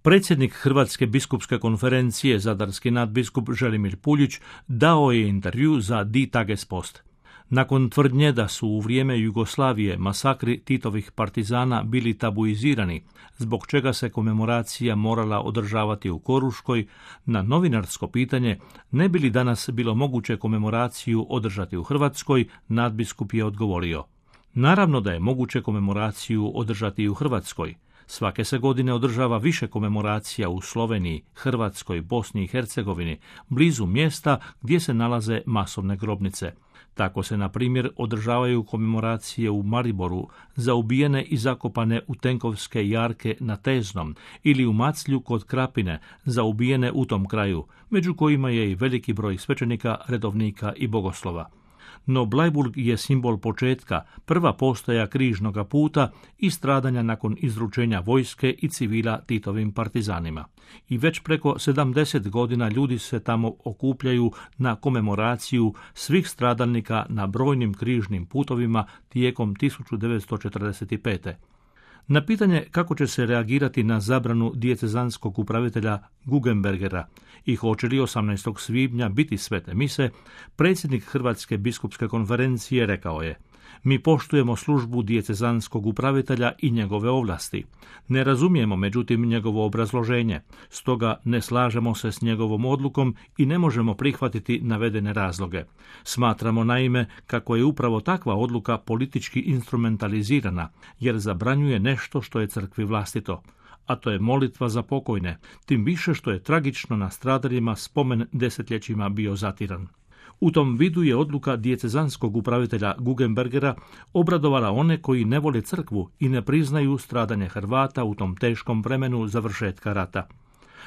Predsjednik Hrvatske biskupske konferencije, zadarski nadbiskup Želimir Puljić, dao je intervju za Die Tagespost. Nakon tvrdnje da su u vrijeme Jugoslavije masakri Titovih partizana bili tabuizirani, zbog čega se komemoracija morala održavati u Koruškoj, na novinarsko pitanje ne bi li danas bilo moguće komemoraciju održati u Hrvatskoj, nadbiskup je odgovorio: naravno da je moguće komemoraciju održati i u Hrvatskoj. Svake se godine održava više komemoracija u Sloveniji, Hrvatskoj, Bosni i Hercegovini, blizu mjesta gdje se nalaze masovne grobnice. Tako se, na primjer, održavaju komemoracije u Mariboru za ubijene i zakopane u tenkovske jarke na Teznom ili u Maclju kod Krapine za ubijene u tom kraju, među kojima je i veliki broj svećenika, redovnika i bogoslova. No Bleiburg je simbol početka, prva postaja križnoga puta i stradanja nakon izručenja vojske i civila Titovim partizanima. I već preko 70 godina ljudi se tamo okupljaju na komemoraciju svih stradalnika na brojnim križnim putovima tijekom 1945. Na pitanje kako će se reagirati na zabranu dijecezanskog upravitelja Guggenbergera i hoće li 18. svibnja biti svete mise, predsjednik Hrvatske biskupske konferencije rekao je: mi poštujemo službu dijecezanskog upravitelja i njegove ovlasti. Ne razumijemo, međutim, njegovo obrazloženje, stoga ne slažemo se s njegovom odlukom i ne možemo prihvatiti navedene razloge. Smatramo naime kako je upravo takva odluka politički instrumentalizirana, jer zabranjuje nešto što je crkvi vlastito, a to je molitva za pokojne, tim više što je tragično na stradalima spomen desetljećima bio zatiran. U tom vidu je odluka dijecezanskog upravitelja Guggenbergera obradovala one koji ne vole crkvu i ne priznaju stradanje Hrvata u tom teškom vremenu završetka rata.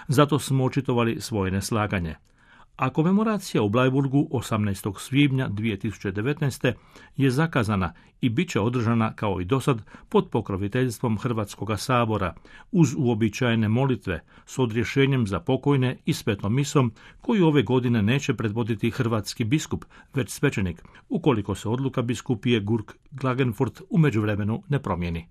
Zato smo očitovali svoje neslaganje. A komemoracija u Bleiburgu 18. svibnja 2019. je zakazana i bit će održana kao i dosad pod pokroviteljstvom Hrvatskoga sabora, uz uobičajene molitve, s odrješenjem za pokojne i svetom misom, koju ove godine neće predvoditi hrvatski biskup, već svećenik, ukoliko se odluka biskupije Gurk Klagenfurt u međuvremenu ne promijeni.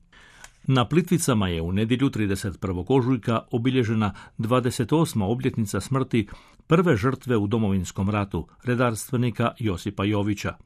Na Plitvicama je u nedjelju 31. ožujka obilježena 28. obljetnica smrti prve žrtve u Domovinskom ratu, redarstvenika Josipa Jovića.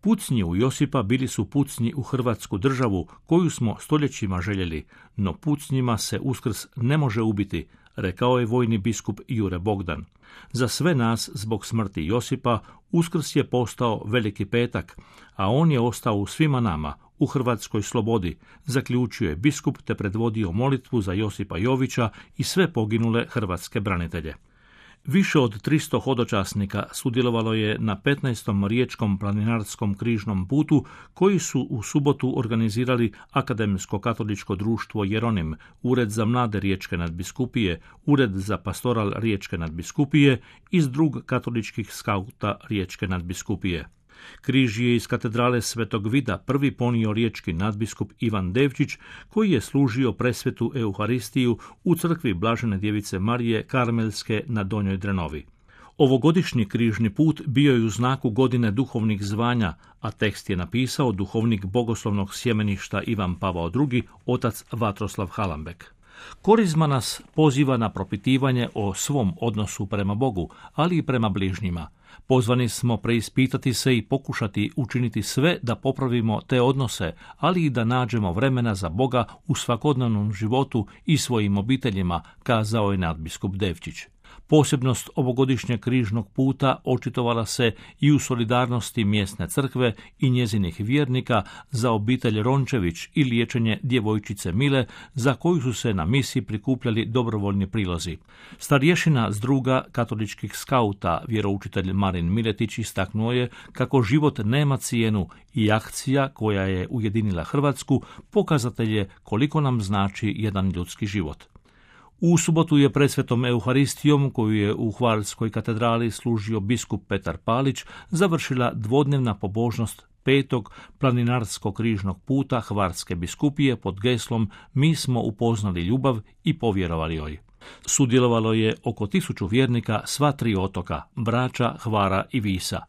Pucnji u Josipa bili su pucnji u Hrvatsku državu koju smo stoljećima željeli, no pucnjima se Uskrs ne može ubiti, rekao je vojni biskup Jure Bogdan. Za sve nas, zbog smrti Josipa, Uskrs je postao Veliki petak, a on je ostao u svima nama, u hrvatskoj slobodi, zaključio je biskup te predvodio molitvu za Josipa Jovića i sve poginule hrvatske branitelje. Više od 300 hodočasnika sudjelovalo je na 15. riječkom planinarskom križnom putu koji su u subotu organizirali Akademsko katoličko društvo Jeronim, Ured za mlade riječke nadbiskupije, Ured za pastoral riječke nadbiskupije i Zdrug katoličkih skauta riječke nadbiskupije. Križ je iz katedrale Svetog Vida prvi ponio riječki nadbiskup Ivan Devčić, koji je služio presvetu Euharistiju u crkvi Blažene djevice Marije Karmelske na Donjoj Drenovi. Ovogodišnji križni put bio je u znaku godine duhovnih zvanja, a tekst je napisao duhovnik bogoslovnog sjemeništa Ivan Pavao II, otac Vatroslav Halambek. Korizma nas poziva na propitivanje o svom odnosu prema Bogu, ali i prema bližnjima. Pozvani smo preispitati se i pokušati učiniti sve da popravimo te odnose, ali i da nađemo vremena za Boga u svakodnevnom životu i svojim obiteljima, kazao je nadbiskup Devčić. Posebnost ovogodišnjeg križnog puta očitovala se i u solidarnosti mjesne crkve i njezinih vjernika za obitelj Rončević i liječenje djevojčice Mile, za koju su se na misi prikupljali dobrovoljni prilozi. Starješina Zdruga katoličkih skauta, vjeroučitelj Marin Miletić, istaknuo je kako život nema cijenu i akcija koja je ujedinila Hrvatsku pokazatelj je koliko nam znači jedan ljudski život. U subotu je pred svetom Euharistijom, koju je u Hvarskoj katedrali služio biskup Petar Palić, završila dvodnevna pobožnost 5. planinarskog križnog puta Hvarske biskupije pod geslom Mi smo upoznali ljubav i povjerovali joj. Sudjelovalo je oko 1000 vjernika sva 3 otoka, Brača, Hvara i Visa.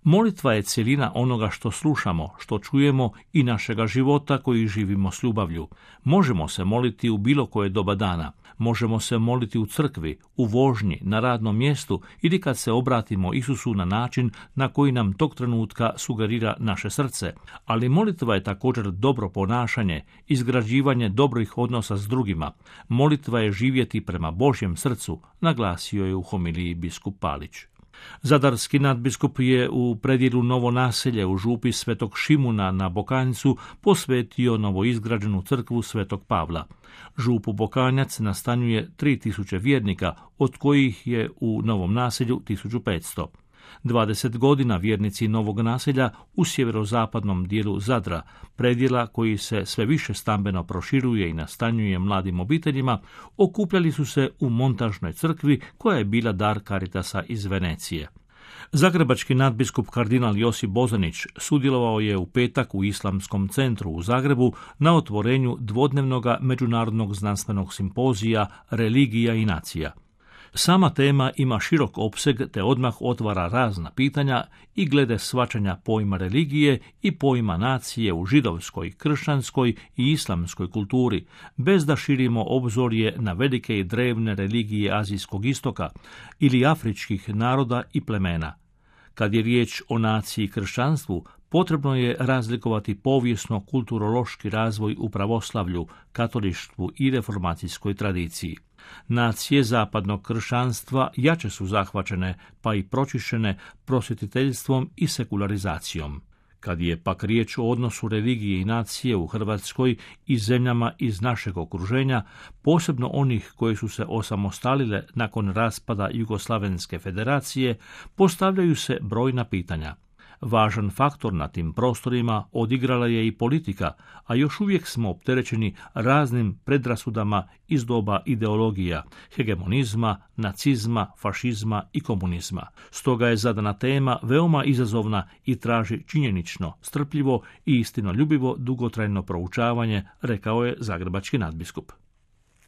Molitva je cjelina onoga što slušamo, što čujemo i našega života koji živimo s ljubavlju. Možemo se moliti u bilo koje doba dana. Možemo se moliti u crkvi, u vožnji, na radnom mjestu ili kad se obratimo Isusu na način na koji nam tog trenutka sugerira naše srce. Ali molitva je također dobro ponašanje, izgrađivanje dobrih odnosa s drugima. Molitva je živjeti prema Božjem srcu, naglasio je u homiliji biskup Palić. Zadarski nadbiskup je u predjelu Novo Naselje u župi Svetog Šimuna na Bokanjcu posvetio novoizgrađenu crkvu Svetog Pavla. Župu Bokanjac nastanjuje 3000 vjernika, od kojih je u Novom Naselju 1500. 20 godina vjernici Novog Naselja u sjeverozapadnom dijelu Zadra, predjela koji se sve više stambeno proširuje i nastanjuje mladim obiteljima, okupljali su se u montažnoj crkvi koja je bila dar Caritasa iz Venecije. Zagrebački nadbiskup kardinal Josip Bozanić sudjelovao je u petak u Islamskom centru u Zagrebu na otvorenju dvodnevnog međunarodnog znanstvenog simpozija Religija i nacija. Sama tema ima širok opseg te odmah otvara razna pitanja i glede shvaćanja pojma religije i pojma nacije u židovskoj, kršćanskoj i islamskoj kulturi, bez da širimo obzorje na velike i drevne religije Azijskog istoka ili afričkih naroda i plemena. Kad je riječ o naciji i kršćanstvu, potrebno je razlikovati povijesno-kulturološki razvoj u pravoslavlju, katolištvu i reformacijskoj tradiciji. Nacije zapadnog kršćanstva jače su zahvaćene, pa i pročišćene prosvjetiteljstvom i sekularizacijom. Kad je pak riječ o odnosu religije i nacije u Hrvatskoj i zemljama iz našeg okruženja, posebno onih koje su se osamostalile nakon raspada Jugoslavenske federacije, postavljaju se brojna pitanja. Važan faktor na tim prostorima odigrala je i politika, a još uvijek smo opterećeni raznim predrasudama iz doba ideologija, hegemonizma, nacizma, fašizma i komunizma. Stoga je zadana tema veoma izazovna i traži činjenično, strpljivo i istinoljubivo dugotrajno proučavanje, rekao je zagrebački nadbiskup.